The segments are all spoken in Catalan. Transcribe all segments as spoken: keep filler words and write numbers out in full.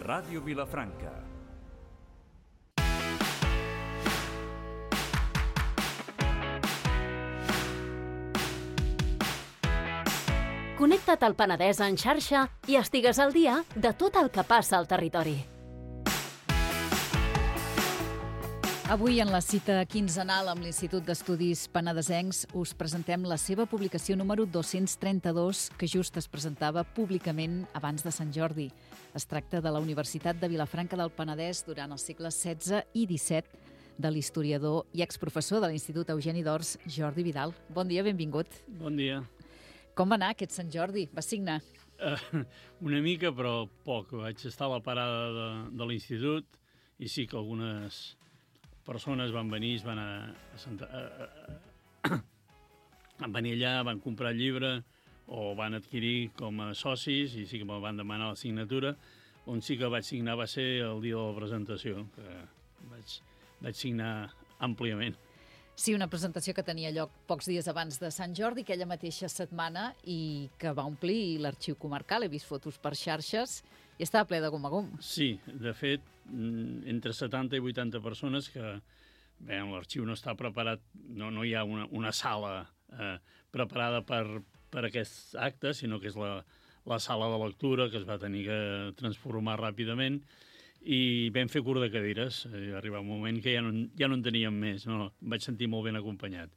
Ràdio Vilafranca. Connecta't al Penedès en xarxa i estigues al dia de tot el que passa al territori. Avui, en la cita quinzenal amb l'Institut d'Estudis Penedesencs, us presentem la seva publicació número dos-cents trenta-dos, que just es presentava públicament abans de Sant Jordi. Es tracta de la Universitat de Vilafranca del Penedès durant els segles setze i disset, de l'historiador i exprofessor de l'Institut Eugeni d'Ors, Jordi Vidal. Bon dia, benvingut. Bon dia. Com va anar aquest Sant Jordi? Va signar? Uh, una mica, però poc. Vaig estar a la parada de, de l'institut i sí que algunes persones van venir, es van a, a, sentar, a, a, van venir allà, van comprar el llibre o van adquirir com a socis i sí que me'l van demanar la signatura. On sí que vaig signar va ser el dia de la presentació, que vaig, vaig signar àmpliament. Sí, una presentació que tenia lloc pocs dies abans de Sant Jordi, aquella mateixa setmana, i que va omplir l'arxiu comarcal. He vist fotos per xarxes i estava ple de gom a gom. Sí, de fet, entre setanta i vuitanta persones que, bé, l'arxiu no està preparat, no, no hi ha una, una sala eh, preparada per, per aquest acte, sinó que és la, la sala de lectura que es va tenir que transformar ràpidament, i vam fer curt de cadires. I va arribar un moment que ja no, ja no en teníem més. No, em vaig sentir molt ben acompanyat.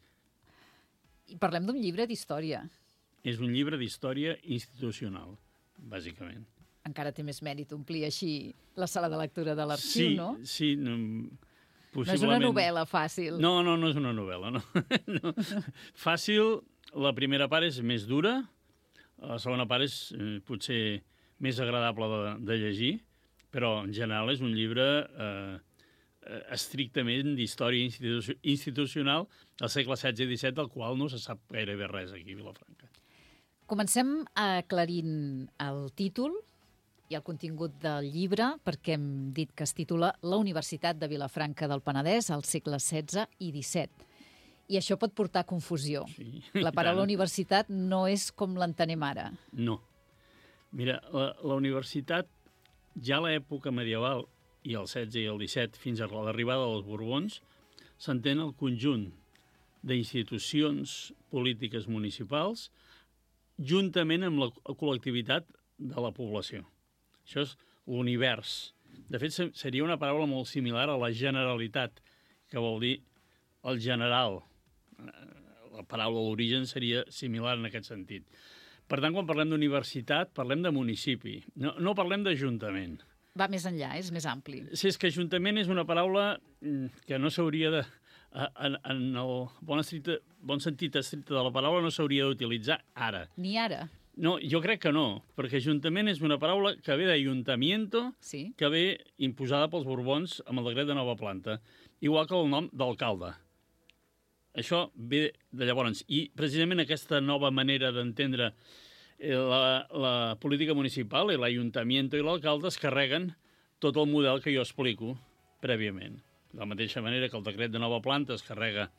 I parlem d'un llibre d'història. És un llibre d'història institucional, bàsicament. Encara té més mèrit omplir així la sala de lectura de l'arxiu, sí, no? Sí, no, possiblement... No és una novel·la fàcil. No, no, no és una novel·la, no. no. Fàcil, la primera part és més dura, la segona part és eh, potser més agradable de, de llegir, però en general és un llibre eh, estrictament d'història institu institucional del segle setze i disset, del qual no se sap gairebé res aquí a Vilafranca. Comencem aclarint el títol i el contingut del llibre, perquè hem dit que es titula La Universitat de Vilafranca del Penedès al segle setze i disset. I això pot portar a confusió. Sí, la paraula universitat no és com l'entenem ara. No. Mira, la, la universitat, ja a l'època medieval, i el setze i el disset, fins a l'arribada dels Borbons, s'entén el conjunt d'institucions polítiques municipals juntament amb la col·lectivitat de la població. Això és l'univers. De fet, seria una paraula molt similar a la generalitat, que vol dir el general. La paraula d'origen seria similar en aquest sentit. Per tant, quan parlem d'universitat, parlem de municipi. No, no parlem d'ajuntament. Va més enllà, és més ampli. Sí, és que ajuntament és una paraula que no s'hauria de... En, en el bon, estricte, bon sentit estricte de la paraula no s'hauria d'utilitzar ara. Ni ara? No, jo crec que no, perquè ajuntament és una paraula que ve d'ayuntamiento, sí, que ve imposada pels Borbons amb el decret de nova planta, igual que el nom d'alcalde. Això ve de llavors. I precisament aquesta nova manera d'entendre la, la política municipal i l'Ajuntament i l'alcalde es carreguen tot el model que jo explico prèviament. De la mateixa manera que el decret de nova planta es carrega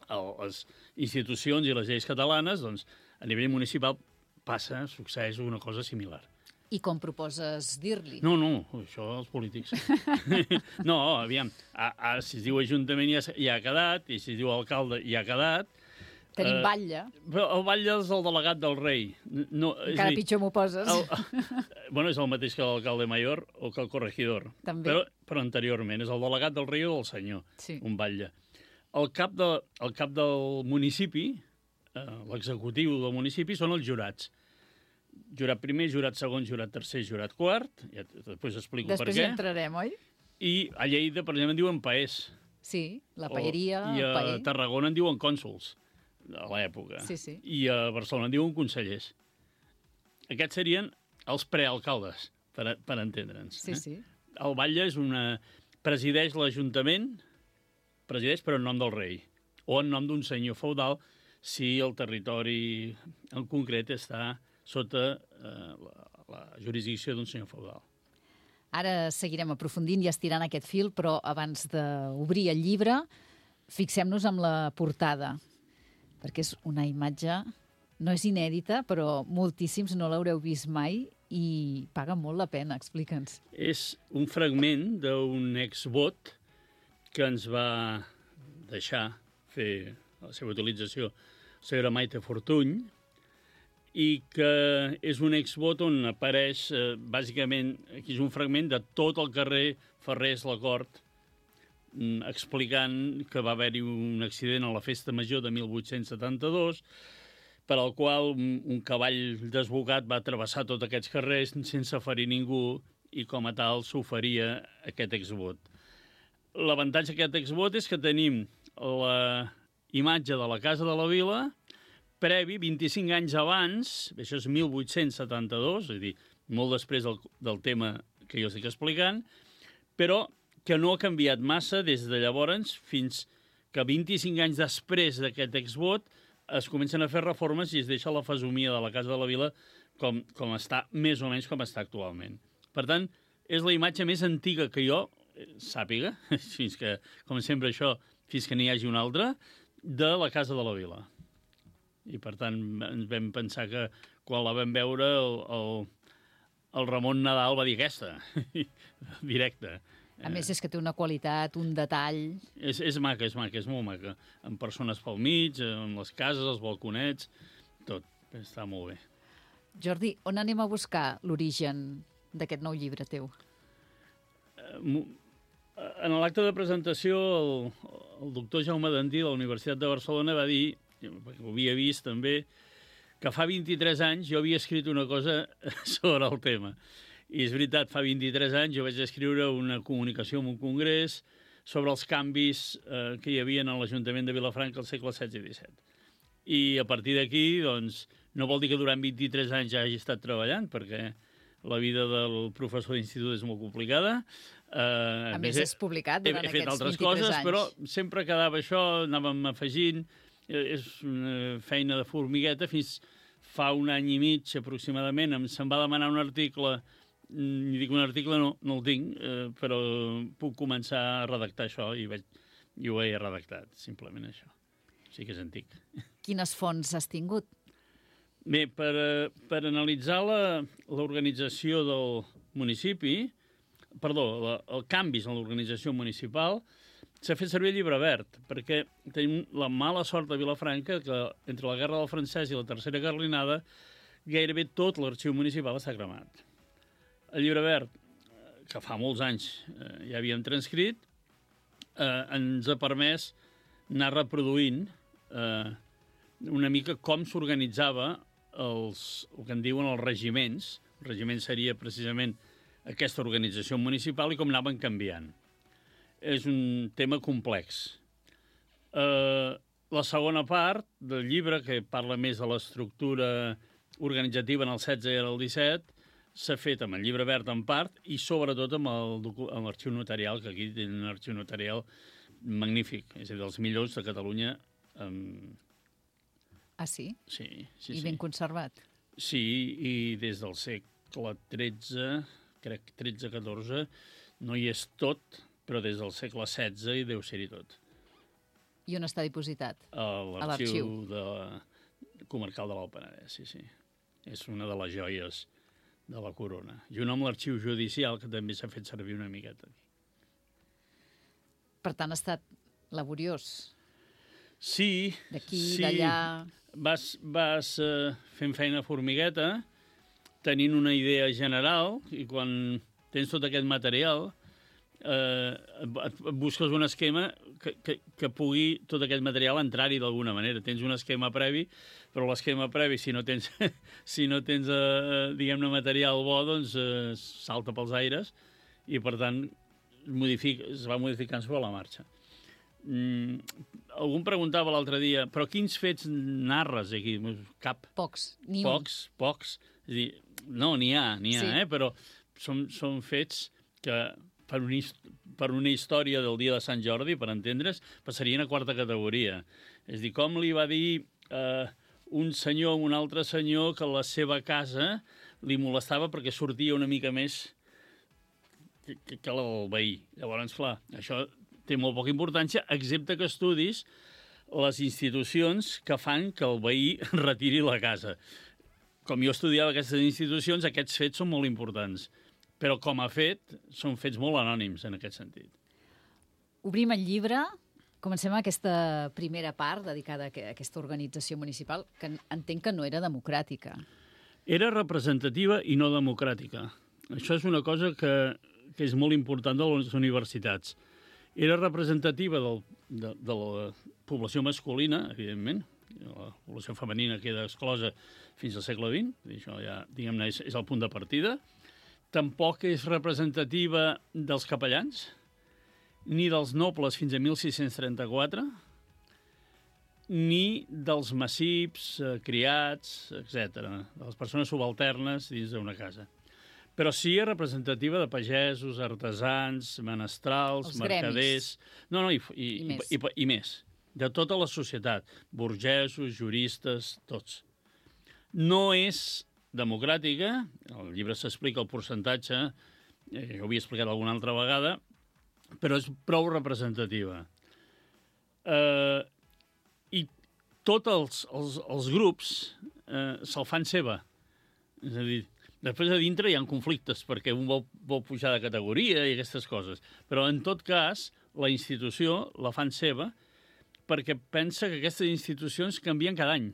a les institucions i les lleis catalanes, doncs a nivell municipal passa, succeeix una cosa similar. I com proposes dir-li? No, no, això els polítics. No, aviam, a, a, si es diu Ajuntament ja, ja ha quedat, i si es diu alcalde ja ha quedat. Tenim eh, batlle. Però el batlle és el delegat del rei. No, Encara dir, pitjor m'ho poses. El, bueno, és el mateix que l'alcalde mayor o que el corregidor. També. Però, però anteriorment, és el delegat del rei o del senyor, sí, un batlle. El cap, de, el cap del municipi, eh, l'executiu del municipi, són els jurats. Jurat primer, jurat segon, jurat tercer, jurat quart. Ja, després explico després per què. Després hi entrarem, oi? I a Lleida, per exemple, en diuen paers. Sí, la paeria, o, I a el paer. Tarragona en diuen cònsols, a l'època. Sí, sí. I a Barcelona en diuen consellers. Aquests serien els prealcaldes, per, a, per entendre'ns. Sí, eh? sí. El batlle és una... presideix l'Ajuntament, presideix però en nom del rei, o en nom d'un senyor feudal, si el territori en concret està sota eh, la, la jurisdicció d'un senyor feudal. Ara seguirem aprofundint i estirant aquest fil, però abans d'obrir el llibre, fixem-nos en la portada, perquè és una imatge, no és inèdita, però moltíssims no l'haureu vist mai i paga molt la pena. Explica'ns. És un fragment d'un exvot que ens va deixar fer la seva utilització la senyora Maite Fortuny, i que és un exvot on apareix, eh, bàsicament, aquí és un fragment de tot el carrer Ferrers Lacort, mm, explicant que va haver-hi un accident a la Festa Major de mil vuit-cents setanta-dos, per al qual un, un cavall desbocat va travessar tots aquests carrers sense ferir ningú, i com a tal s'oferia aquest exvot. L'avantatge d'aquest exvot és que tenim la imatge de la Casa de la Vila previ, vint-i-cinc anys abans, això és mil vuit-cents setanta-dos, és a dir, molt després del, del tema que jo estic explicant, però que no ha canviat massa des de llavors fins que vint-i-cinc anys després d'aquest exvot es comencen a fer reformes i es deixa la fesomia de la Casa de la Vila com, com està, més o menys com està actualment. Per tant, és la imatge més antiga que jo sàpiga, fins que, com sempre això, fins que n'hi hagi una altra, de la Casa de la Vila. I, per tant, ens vam pensar que quan la vam veure, el, el, el Ramon Nadal va dir aquesta, directe. A més, és que té una qualitat, un detall... És, és maca, és maca, és molt maca. Amb persones pel mig, amb les cases, els balconets, tot. Està molt bé. Jordi, on anem a buscar l'origen d'aquest nou llibre teu? En l'acte de presentació, el, el doctor Jaume Dantí de la Universitat de Barcelona va dir, perquè ho havia vist també, que fa vint-i-tres anys jo havia escrit una cosa sobre el tema. I és veritat, fa vint-i-tres anys jo vaig escriure una comunicació en un congrés sobre els canvis eh, que hi havia en l'Ajuntament de Vilafranca al segle setze i disset. I a partir d'aquí, doncs, no vol dir que durant vint-i-tres anys ja hagi estat treballant, perquè la vida del professor d'institut és molt complicada. Uh, a més, és publicat durant he, he aquests altres vint-i-tres coses, anys. Però sempre quedava això, anàvem afegint. És una feina de formigueta. Fins fa un any i mig, aproximadament, em se'n va demanar un article. I dic, un article no, no el tinc, eh, però puc començar a redactar això i, vaig, i ho he redactat, simplement això. Sí que és antic. Quines fonts has tingut? Bé, per, per analitzar l'organització del municipi, perdó, la, el canvis en l'organització municipal, s'ha fet servir el llibre verd, perquè tenim la mala sort de Vilafranca que entre la Guerra del Francès i la Tercera Carlinada gairebé tot l'arxiu municipal està cremat. El llibre verd, que fa molts anys eh, ja havíem transcrit, eh, ens ha permès anar reproduint eh, una mica com s'organitzava els, el que en diuen els regiments. El regiment seria precisament aquesta organització municipal i com anaven canviant. És un tema complex. Eh, la segona part del llibre, que parla més de l'estructura organitzativa en el setze i en el disset, s'ha fet amb el llibre verd en part i sobretot amb l'arxiu notarial, que aquí té un arxiu notarial magnífic, és a dir, dels millors de Catalunya. Um... Ah, sí? Sí, sí, I sí. ben conservat. Sí, i des del segle tretze, crec tretze catorze, no hi és tot, però des del segle setze hi deu ser-hi tot. I on està dipositat? A l'arxiu de comarcal de l'Alt Penedès, sí, sí. És una de les joies de la corona. Junt amb l'arxiu judicial, que també s'ha fet servir una miqueta. Per tant, ha estat laboriós. Sí. D'aquí, sí. d'allà... Vas, vas uh, fent feina formigueta, tenint una idea general, i quan tens tot aquest material, eh, et busques un esquema que, que, que pugui tot aquest material entrar-hi d'alguna manera. Tens un esquema previ, però l'esquema previ, si no tens, si no tens eh, diguem-ne, material bo, doncs eh, salta pels aires i, per tant, modifica, es va modificant sobre la marxa. Mm, algú em preguntava l'altre dia, però quins fets narres aquí? Cap. Pocs, ni un. Pocs, pocs. És a dir, no, n'hi ha, n'hi ha, sí. eh? Però són, són fets que per una, per una història del dia de Sant Jordi, per entendre's, passarien a quarta categoria. És a dir, com li va dir eh, un senyor a un altre senyor que la seva casa li molestava perquè sortia una mica més que, que, que el veí. Llavors, clar, això té molt poca importància, excepte que estudis les institucions que fan que el veí retiri la casa. com jo estudiava aquestes institucions, aquests fets són molt importants. Però com a fet, són fets molt anònims en aquest sentit. Obrim el llibre, comencem aquesta primera part dedicada a aquesta organització municipal, que entenc que no era democràtica. Era representativa i no democràtica. Això és una cosa que, que és molt important de les universitats. Era representativa del, de, de la població masculina, evidentment. La població femenina queda exclosa fins al segle vint. Això ja, diguem-ne, és, és el punt de partida. Tampoc és representativa dels capellans, ni dels nobles fins a mil sis-cents trenta-quatre, ni dels massips, eh, criats, etcètera, de les persones subalternes dins d'una casa. Però sí és representativa de pagesos, artesans, menestrals, els mercaders... Gremis. No, no, i, i, I, més. i, i, i més. De tota la societat. Burgesos, juristes, tots. No és democràtica, al llibre s'explica el percentatge, eh, ho havia explicat alguna altra vegada, però és prou representativa. Eh, I tots els, els, els grups eh, se'l fan seva. És a dir, després a dintre hi ha conflictes, perquè un vol, vol pujar de categoria i aquestes coses. Però, en tot cas, la institució la fan seva perquè pensa que aquestes institucions canvien cada any.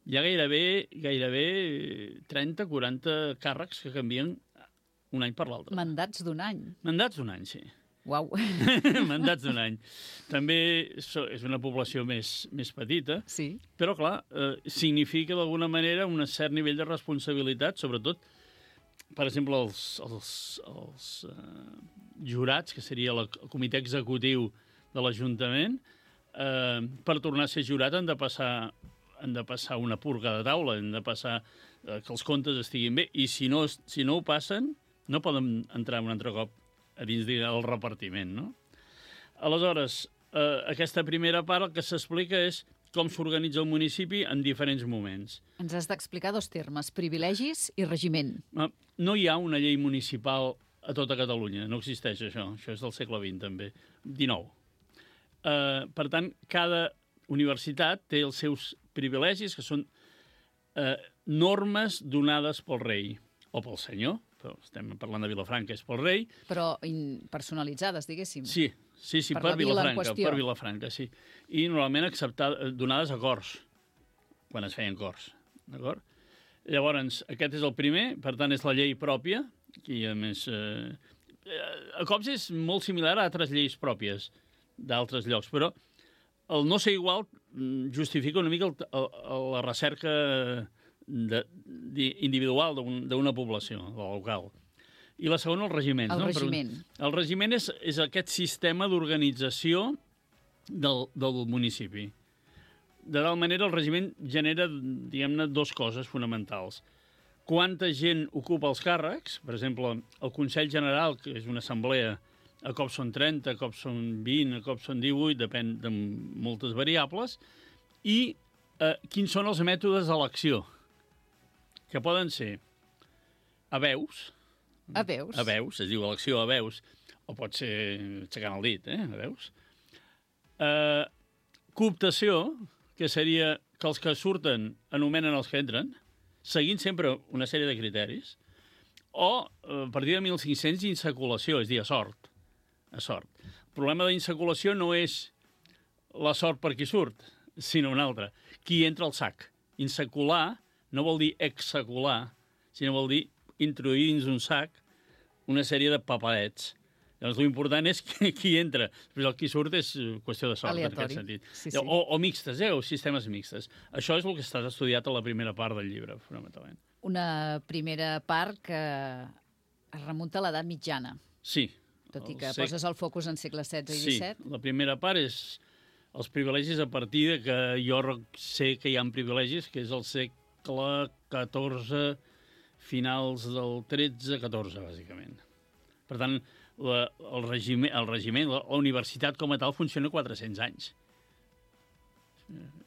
Hi ha gairebé, gairebé trenta quaranta càrrecs que canvien un any per l'altre. Mandats d'un any. Mandats d'un any, sí. Uau. Mandats d'un any. També és una població més, més petita, Sí. però, clar, eh, significa d'alguna manera un cert nivell de responsabilitat, sobretot, per exemple, els, els, els eh, jurats, que seria el comitè executiu de l'Ajuntament, eh, per tornar a ser jurat han de passar han de passar una purga de taula, han de passar eh, que els comptes estiguin bé, i si no, si no ho passen, no poden entrar un altre cop a dins del repartiment, no? Aleshores, eh, aquesta primera part el que s'explica és com s'organitza el municipi en diferents moments. Ens has d'explicar dos termes, privilegis i regiment. No hi ha una llei municipal a tota Catalunya, no existeix això, això és del segle vint també, dinou. Eh, per tant, cada universitat té els seus privilegis, que són eh, normes donades pel rei o pel senyor, però estem parlant de Vilafranca, és pel rei. Però personalitzades, diguéssim. Sí, sí, sí, per, per, per Vilafranca, per Vilafranca, sí. I normalment acceptades, donades a cors, quan es feien cors, d'acord? Llavors, aquest és el primer, per tant, és la llei pròpia, que a més... Eh, a cops és molt similar a altres lleis pròpies d'altres llocs, però el no ser igual justifica una mica el, el, la recerca de, de, individual d'una població, local. I la segona, el regiment. El no? regiment. Però el regiment és, és aquest sistema d'organització del, del municipi. De tal manera, el regiment genera, diguem-ne, dues coses fonamentals. Quanta gent ocupa els càrrecs, per exemple, el Consell General, que és una assemblea, a cops són trenta, a cops són vint, a cops són divuit, depèn de moltes variables, i eh, quins són els mètodes d'elecció, que poden ser a veus, a veus, a veus, es diu elecció a veus, o pot ser aixecant el dit, eh, a veus. Eh, cooptació, que seria que els que surten anomenen els que entren, seguint sempre una sèrie de criteris, o, a partir de mil cinc-cents, insaculació, és dir, a sort. A sort. El problema d'insaculació no és la sort per qui surt, sinó una altra. Qui entra al sac. Insacular no vol dir exsacular, sinó vol dir introduir dins un sac una sèrie de papadets. Llavors, l'important és qui, qui entra. Després el qui surt és qüestió de sort, aleatori. en aquest sentit. Sí, sí. O, o mixtes, eh? O sistemes mixtes. Això és el que està estudiat a la primera part del llibre, fonamentalment. Una primera part que es remunta a l'edat mitjana. Sí. Tot i que sec... poses el focus en segle setze i sí, disset. Sí, la primera part és els privilegis a partir de que jo sé que hi ha privilegis, que és el segle catorze, finals del tretze catorze, bàsicament. Per tant, la, el, regiment, el regiment, la, la universitat com a tal, funciona quatre-cents anys.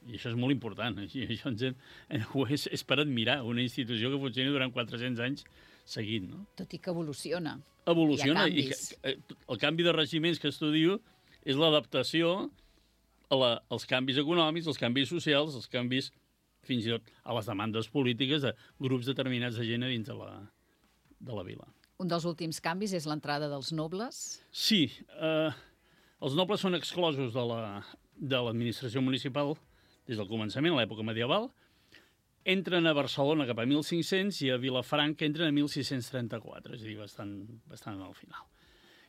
I això és molt important. I això ens hem, és, és per admirar una institució que funcioni durant quatre-cents anys seguint, no? Tot i que evoluciona. Evoluciona. I que, el canvi de regiments que estudio és l'adaptació a la, als canvis econòmics, als canvis socials, als canvis fins i tot a les demandes polítiques de grups determinats de gent a dins de la, de la vila. Un dels últims canvis és l'entrada dels nobles. Sí, eh, els nobles són exclosos de la, de l'administració municipal des del començament, a l'època medieval. Entren a Barcelona cap a mil cinc-cents i a Vilafranca entren a mil sis-cents trenta-quatre, és a dir, bastant, bastant al final.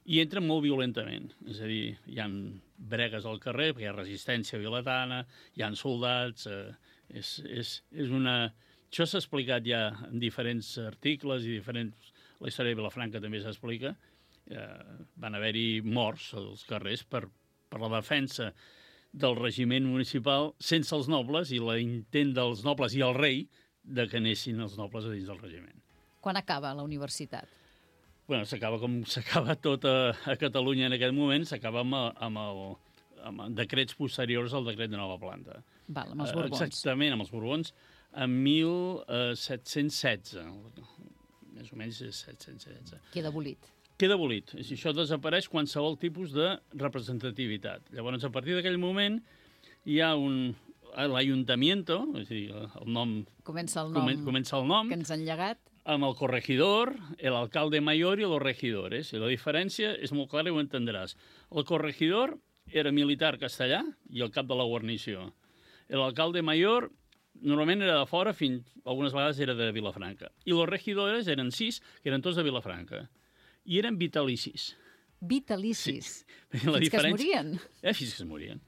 I entren molt violentament, és a dir, hi ha bregues al carrer, perquè hi ha resistència vilatana, hi ha soldats, eh, és, és, és una... Això s'ha explicat ja en diferents articles i diferents... La història de Vilafranca també s'explica. Eh, van haver-hi morts als carrers per, per la defensa del regiment municipal sense els nobles i l'intent dels nobles i el rei de que anessin els nobles a dins del regiment. Quan acaba la universitat? Bueno, s'acaba com s'acaba tot a, a Catalunya en aquest moment, s'acaba amb, amb, el, amb decrets posteriors al decret de nova planta. Val, amb els Borbons. Exactament, amb els Borbons, en mil set-cents setze. Més o menys és set-cents setze. Queda abolit. Queda abolit. I això desapareix qualsevol tipus de representativitat. Llavors, a partir d'aquell moment, hi ha un... l'Ayuntamiento, és a dir, el nom... Comença el nom, comença el nom que ens han llegat. Amb el corregidor, el alcalde mayor i los regidores. I la diferència és molt clara i ho entendràs. El corregidor era militar castellà i el cap de la guarnició. L'alcalde mayor normalment era de fora, fins algunes vegades era de Vilafranca. I los regidores eren sis, que eren tots de Vilafranca. I eren vitalicis. Vitalicis? Sí. Fins diferència... que es morien? Eh, fins que es morien.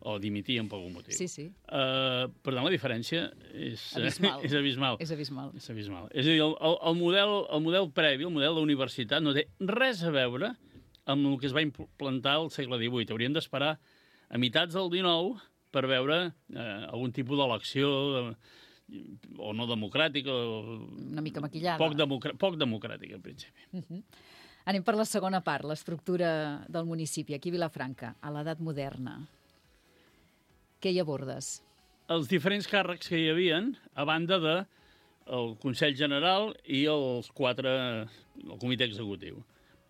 O dimitien per algun motiu. Sí, sí. Uh, per tant, la diferència és abismal. és abismal. És abismal. És abismal. És a dir, el, el, model, el model previ, el model de la universitat, no té res a veure amb el que es va implantar al segle divuit. Hauríem d'esperar a meitats del dinou per veure eh, algun tipus d'elecció eh, o no democràtica. O una mica maquillada. Poc, democr poc democràtica, en principi. Uh -huh. Anem per la segona part, l'estructura del municipi, aquí a Vilafranca, a l'edat moderna. Què hi abordes? Els diferents càrrecs que hi havien, a banda de el Consell General i els quatre, el Comitè Executiu.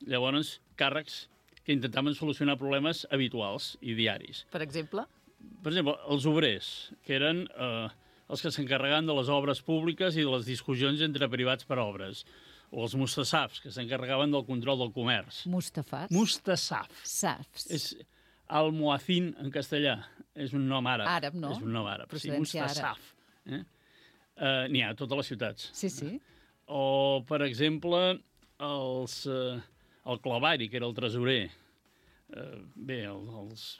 Llavors, càrrecs que intentaven solucionar problemes habituals i diaris. Per exemple? Per exemple, els obrers, que eren eh, els que s'encarregaven de les obres públiques i de les discussions entre privats per obres. O els mustassafs, que s'encarregaven del control del comerç. Mustafats? Mustassaf. Safs. És almohacín en castellà. És un nom àrab. Àrab, no? És un nom àrab. Procedència sí, mustassaf. Eh? Uh, N'hi ha a totes les ciutats. Sí, sí. O, per exemple, els, uh, el clavari, que era el tresorer. Uh, bé, el, els...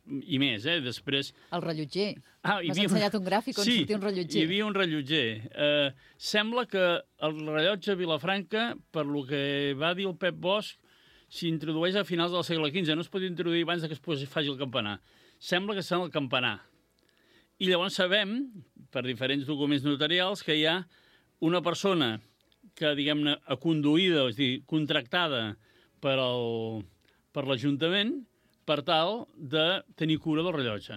I més, eh? Després... El rellotger. Ah, M'has ensenyat un gràfic on sí, sortia un rellotger. Sí, hi havia un rellotger. Eh, sembla que el rellotge a Vilafranca, per lo que va dir el Pep Bosch, s'introdueix a finals del segle quinze. No es pot introduir abans que es faci el campanar. Sembla que està en el campanar. I llavors sabem, per diferents documents notarials, que hi ha una persona que, diguem-ne, aconduïda, és a dir, contractada per el, per l'Ajuntament, per tal de tenir cura del rellotge.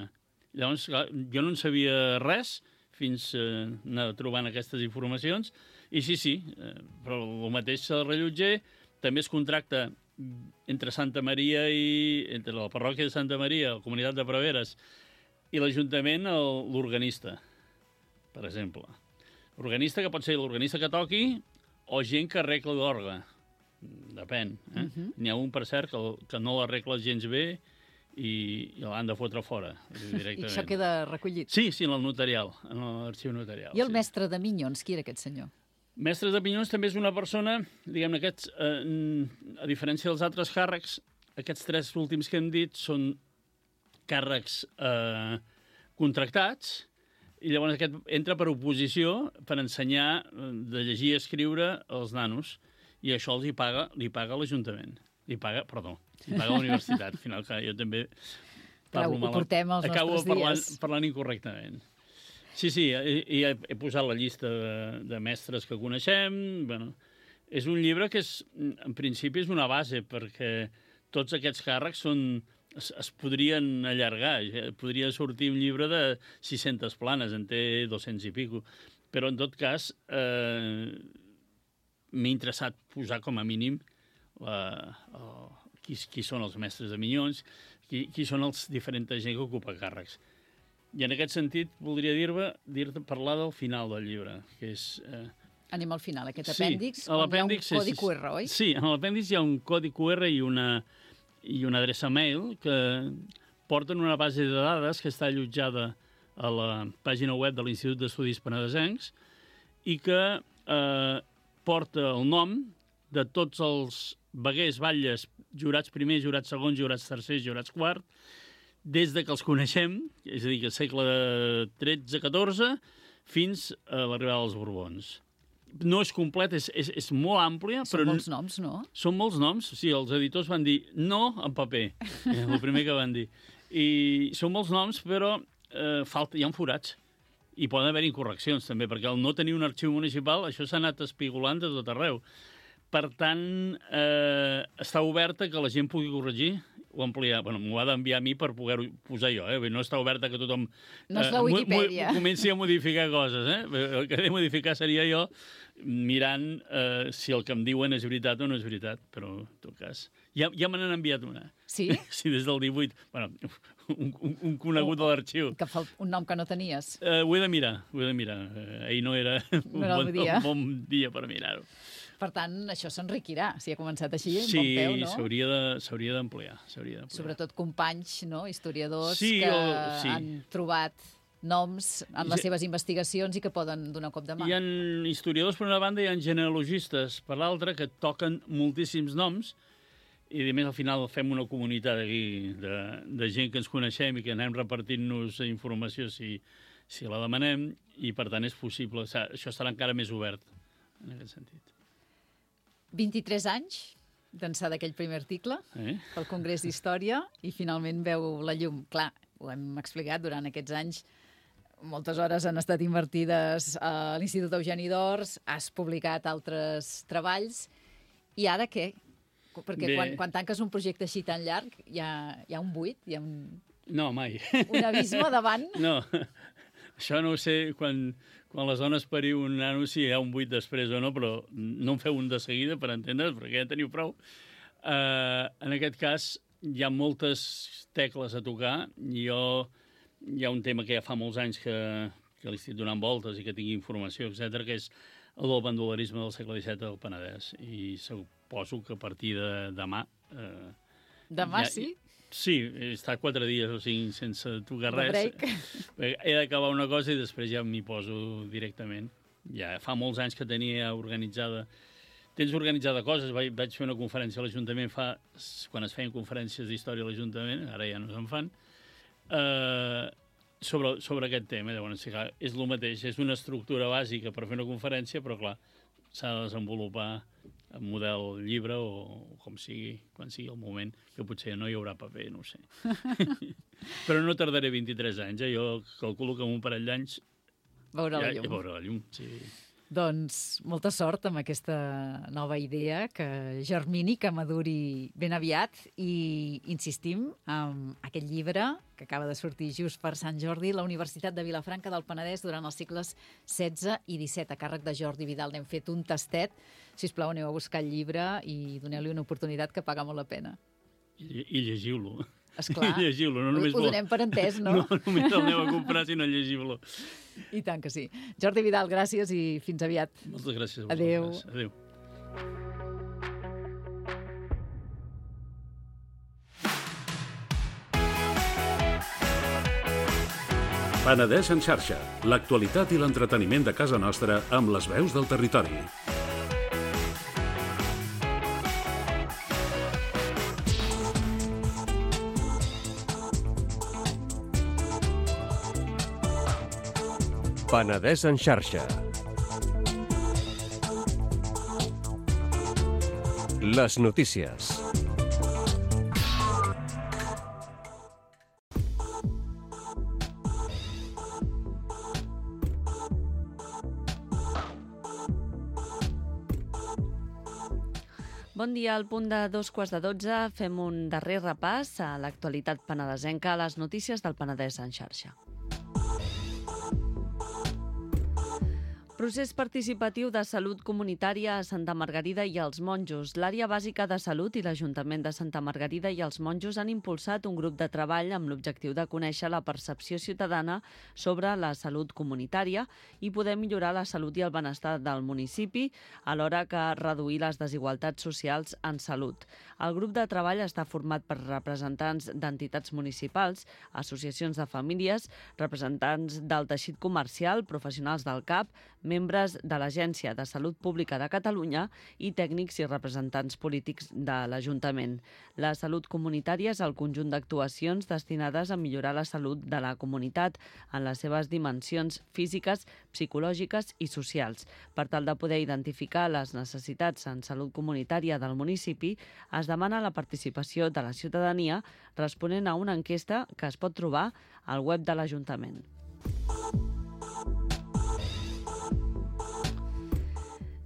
Llavors, clar, jo no en sabia res fins a eh, anar trobant aquestes informacions, i sí, sí, eh, però el mateix el rellotger també es contracta entre Santa Maria i... entre la parròquia de Santa Maria, la comunitat de Preveres, i l'Ajuntament, l'organista, per exemple. L'organista que pot ser l'organista que toqui o gent que arregla l'orgue. Depèn. Eh? Uh -huh. N'hi ha un, per cert, que, que no l'arregla gens bé i, i l'han de fotre fora, directament. I això queda recollit? Sí, sí, en el notarial, en l'arxiu notarial. I el sí. mestre de Minyons, qui era aquest senyor? Mestre de Minyons també és una persona, diguem-ne, aquests, eh, a diferència dels altres càrrecs, aquests tres últims que hem dit són càrrecs eh, contractats, i llavors aquest entra per oposició per ensenyar de llegir i escriure als nanos, i això els hi paga, li paga l'Ajuntament. Li paga, perdó, li paga la universitat. Al final, clar, jo també parlo Clar, ho portem als acabo nostres parlant, dies. parlant incorrectament. Sí, sí, i, i he, he posat la llista de, de mestres que coneixem. Bueno, és un llibre que, és, en principi, és una base, perquè tots aquests càrrecs són, es, es podrien allargar. Podria sortir un llibre de sis-centes planes, en té dos-cents i pico. Però, en tot cas, eh, m'he interessat posar com a mínim la, el, qui, qui són els mestres de Minyons, qui, qui són els diferents gent que ocupa càrrecs. I en aquest sentit voldria dir-te dir parlar del final del llibre, que és... Eh, Anem al final, aquest sí, apèndix, on hi ha un codi Q R, oi? Sí, en l'apèndix hi ha un codi Q R i una, i una adreça mail que porten una base de dades que està allotjada a la pàgina web de l'Institut d'Estudis Penedesencs i que eh, porta el nom de tots els veguers, batlles, jurats primers, jurats segons, jurats tercers, jurats quart, des de que els coneixem, és a dir, que segle tretze catorze, fins a l'arribada dels Borbons. No és complet, és, és, és molt àmplia. Són però molts noms, no? Són molts noms, sí, els editors van dir no en paper, és el primer que van dir. I són molts noms, però eh, falta, hi ha forats. I poden haver incorreccions, també, perquè al no tenir un arxiu municipal, això s'ha anat espigolant de tot arreu. Per tant, eh, està oberta que la gent pugui corregir o ampliar. Bueno, m'ho ha d'enviar a mi per poder-ho posar jo, eh? No està oberta que tothom no és la Wikipedia. Eh, comenci a modificar coses, eh? El que he de modificar seria jo mirant eh, si el que em diuen és veritat o no és veritat, però en tot cas... Ja, ja me n'han enviat una. Sí? Sí, des del divuit. Bueno, un, un, un conegut de l'arxiu. Que fa un nom que no tenies. Eh, ho he de mirar, ho he de mirar. Eh, ahir no era, no era un, bon, un bon dia per mirar-ho. Per tant, això s'enriquirà, si ha començat així, sí, en bon peu, no? Sí, s'hauria d'ampliar. Sobretot companys, no?, historiadors sí, que o, sí. han trobat noms en les seves investigacions i que poden donar un cop de mà. Hi ha historiadors per una banda i hi ha genealogistes per l'altra que toquen moltíssims noms i a més al final fem una comunitat aquí de, de gent que ens coneixem i que anem repartint-nos informació si, si la demanem i per tant és possible. O sigui, això estarà encara més obert en aquest sentit. vint-i-tres anys d'ençà d'aquell primer article eh? pel Congrés d'Història i finalment veu la llum. Clar, ho hem explicat, durant aquests anys moltes hores han estat invertides a l'Institut Eugeni d'Ors, has publicat altres treballs i ara què? Perquè quan, quan tanques un projecte així tan llarg hi ha, hi ha un buit, hi ha un, no, mai. un abisme davant. No, això no ho sé quan... Quan les dones pariu un nano, si hi ha un buit després o no, però no en feu un de seguida, per entendre's, perquè ja teniu prou. Uh, en aquest cas, hi ha moltes tecles a tocar. Jo, hi ha un tema que ja fa molts anys que, que li estic donant voltes i que tinc informació, etcètera, que és el del bandolerisme del segle disset del Penedès. I suposo que a partir de demà... Uh, demà ja, sí? Sí, he estat quatre dies o cinc sense tocar res. He d'acabar una cosa i després ja m'hi poso directament. Ja fa molts anys que tenia organitzada... Tens organitzada coses. Vaig, vaig fer una conferència a l'Ajuntament fa... quan es feien conferències d'història a l'Ajuntament, ara ja no se'n fan, eh, sobre, sobre aquest tema. Llavors, sí, clar, és el mateix, és una estructura bàsica per fer una conferència, però clar, s'ha de desenvolupar en model llibre o, o com sigui, quan sigui el moment, que potser no hi haurà paper, no ho sé. Però no tardaré vint-i-tres anys, eh? Jo calculo que en un parell d'anys veurà la llum. Ja veurà la llum, sí. Doncs molta sort amb aquesta nova idea, que germini, que maduri ben aviat, i insistim en aquest llibre que acaba de sortir just per Sant Jordi, la Universitat de Vilafranca del Penedès durant els segles setze i disset, a càrrec de Jordi Vidal. N'hem fet un tastet. Sisplau, aneu a buscar el llibre i doneu-li una oportunitat que paga molt la pena. I, i llegiu-lo. Esclar, I llegiu-lo. No només ho donem per entès, no? No només el aneu a comprar, sinó llegiu-lo. I tant que sí. Jordi Vidal, gràcies i fins aviat. Moltes gràcies a Adéu. vosaltres. Adéu. Penedès en xarxa, l'actualitat i l'entreteniment de casa nostra amb les veus del territori. Penedès en xarxa. Les notícies. Bon dia, al punt de dos quarts de dotze fem un darrer repàs a l'actualitat penedesenca, a les notícies del Penedès en xarxa. Procés participatiu de salut comunitària a Santa Margarida i els Monjos. L'àrea bàsica de salut i l'Ajuntament de Santa Margarida i els Monjos han impulsat un grup de treball amb l'objectiu de conèixer la percepció ciutadana sobre la salut comunitària i poder millorar la salut i el benestar del municipi, alhora que reduir les desigualtats socials en salut. El grup de treball està format per representants d'entitats municipals, associacions de famílies, representants del teixit comercial, professionals del C A P, membres de l'Agència de Salut Pública de Catalunya i tècnics i representants polítics de l'Ajuntament. La salut comunitària és el conjunt d'actuacions destinades a millorar la salut de la comunitat en les seves dimensions físiques, psicològiques i socials. Per tal de poder identificar les necessitats en salut comunitària del municipi, es demana la participació de la ciutadania responent a una enquesta que es pot trobar al web de l'Ajuntament.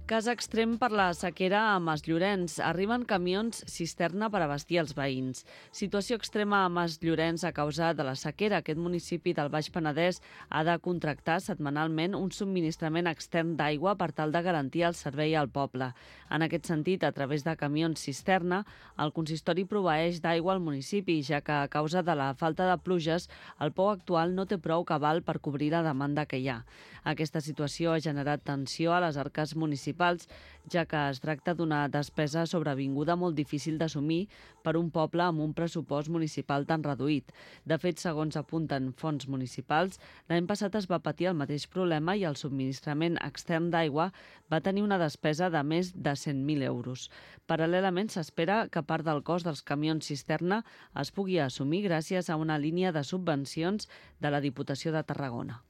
Cas extrem per la sequera a Masllorenç. Arriben camions cisterna per abastir els veïns. Situació extrema a Masllorenç a causa de la sequera. Aquest municipi del Baix Penedès ha de contractar setmanalment un subministrament extern d'aigua per tal de garantir el servei al poble. En aquest sentit, a través de camions cisterna, el consistori proveeix d'aigua al municipi, ja que a causa de la falta de pluges, el pou actual no té prou cabal per cobrir la demanda que hi ha. Aquesta situació ha generat tensió a les arques municipals, ja que es tracta d'una despesa sobrevinguda molt difícil d'assumir per un poble amb un pressupost municipal tan reduït. De fet, segons apunten fonts municipals, l'any passat es va patir el mateix problema i el subministrament extern d'aigua va tenir una despesa de més de cent mil euros. Paral·lelament, s'espera que part del cost dels camions cisterna es pugui assumir gràcies a una línia de subvencions de la Diputació de Tarragona.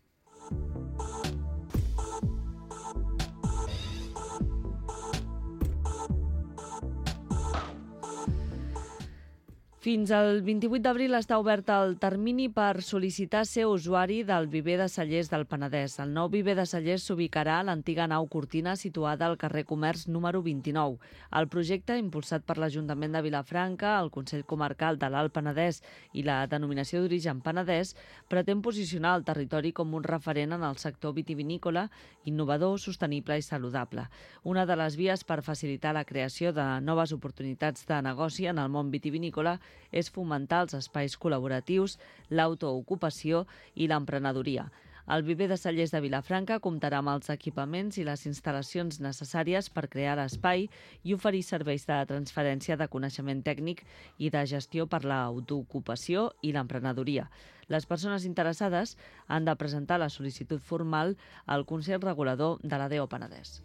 Fins al vint-i-vuit d'abril està obert el termini per sol·licitar ser usuari del Viver de Cellers del Penedès. El nou Viver de Cellers s'ubicarà a l'antiga nau Cortina situada al carrer Comerç número vint-i-nou. El projecte, impulsat per l'Ajuntament de Vilafranca, el Consell Comarcal de l'Alt Penedès i la Denominació d'Origen Penedès, pretén posicionar el territori com un referent en el sector vitivinícola, innovador, sostenible i saludable. Una de les vies per facilitar la creació de noves oportunitats de negoci en el món vitivinícola és fomentar els espais col·laboratius, l'autoocupació i l'emprenedoria. El Viver de Cellers de Vilafranca comptarà amb els equipaments i les instal·lacions necessàries per crear l'espai i oferir serveis de transferència de coneixement tècnic i de gestió per l'autoocupació i l'emprenedoria. Les persones interessades han de presentar la sol·licitud formal al Consell Regulador de l'A D O Penedès.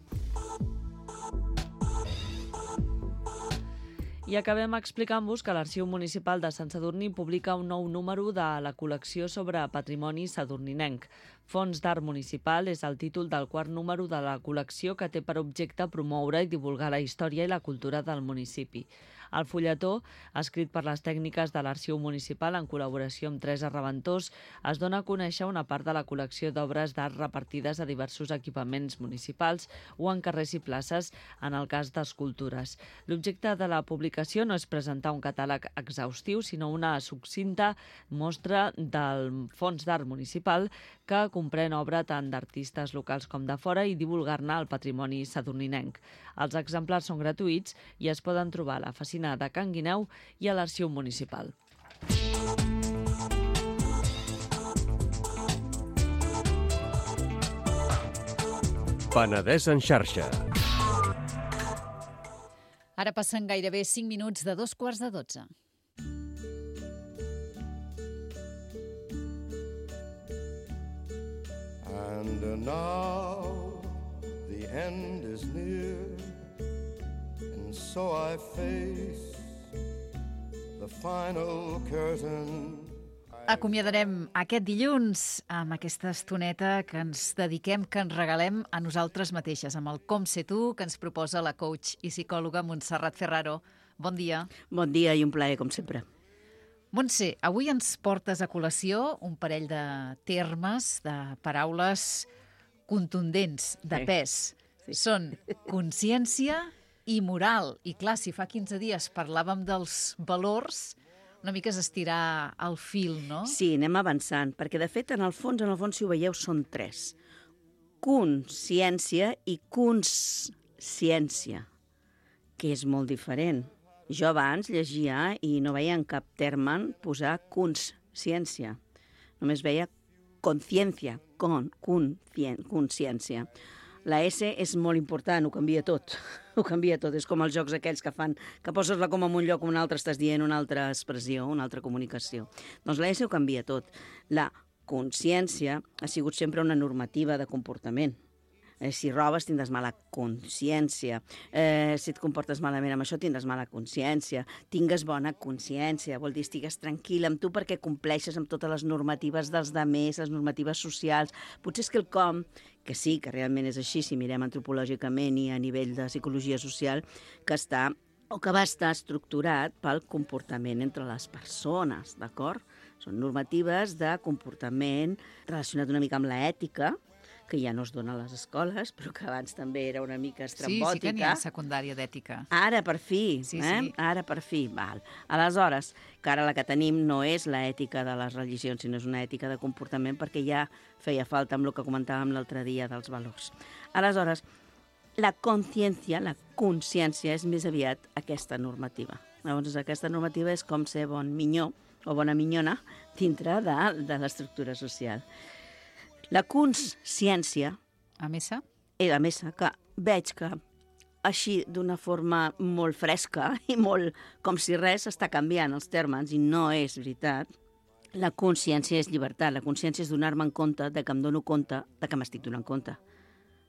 I acabem explicant-vos que l'Arxiu Municipal de Sant Sadurní publica un nou número de la col·lecció sobre patrimoni sadurninenc. Fons d'Art Municipal és el títol del quart número de la col·lecció que té per objecte promoure i divulgar la història i la cultura del municipi. El fulletó, escrit per les tècniques de l'Arxiu Municipal en col·laboració amb Teresa Reventós, es dona a conèixer una part de la col·lecció d'obres d'art repartides a diversos equipaments municipals o en carrers i places, en el cas d'escultures. L'objecte de la publicació no és presentar un catàleg exhaustiu, sinó una succinta mostra del Fons d'Art Municipal que comprèn obra tant d'artistes locals com de fora i divulgar-ne el patrimoni sadurninenc. Els exemplars són gratuïts i es poden trobar a la Facina de Can Guineu i a l'Arxiu Municipal. Penedès en xarxa. Ara passen gairebé cinc minuts de dos quarts de dotze. And now the end is near, and so I face the final curtain. Acomiadarem aquest dilluns amb aquesta estoneta que ens dediquem, que ens regalem a nosaltres mateixes, amb el Com Ser Tu, que ens proposa la coach i psicòloga Montserrat Ferraro. Bon dia. Bon dia i un plaer, com sempre. Montse, avui ens portes a col·lació un parell de termes, de paraules contundents, de pes. Sí. Són consciència i moral. I clar, si fa quinze dies parlàvem dels valors, una mica és estirar el fil, no? Sí, anem avançant, perquè de fet, en el fons, en el fons, si ho veieu, són tres. consciència i consciència, que és molt diferent. Jo abans llegia i no veia en cap terme posar consciència. Només veia consciència, con, consciència. La S és molt important, ho canvia tot. Ho canvia tot. És com els jocs aquells que fan, que poses la coma en un lloc, en un altre estàs dient una altra expressió, una altra comunicació. Doncs la S ho canvia tot. La consciència ha sigut sempre una normativa de comportament. Eh, si robes tindràs mala consciència, eh, si et comportes malament amb això tindràs mala consciència, tingues bona consciència, vol dir estigues tranquil amb tu perquè compleixes amb totes les normatives dels demés, les normatives socials. Potser és quelcom que sí, que realment és així, si mirem antropològicament i a nivell de psicologia social, que està o que va estar estructurat pel comportament entre les persones, d'acord? Són normatives de comportament relacionat una mica amb l'ètica, que ja no es dona a les escoles, però que abans també era una mica estrambòtica. Sí, sí que n'hi ha secundària d'ètica. Ara, per fi, sí, eh? Sí. Ara, per fi, val. Aleshores, que ara la que tenim no és l'ètica de les religions, sinó és una ètica de comportament, perquè ja feia falta amb el que comentàvem l'altre dia dels valors. Aleshores, la consciència, la consciència, és més aviat aquesta normativa. Llavors, aquesta normativa és com ser bon minyó o bona minyona dintre de, de l'estructura social. La consciència, A missa? eh, a més, que veig que així d'una forma molt fresca i molt com si res està canviant els termes i no és veritat, la consciència és llibertat, la consciència és donar-me en compte de que em dono compte de que m'estic donant compte.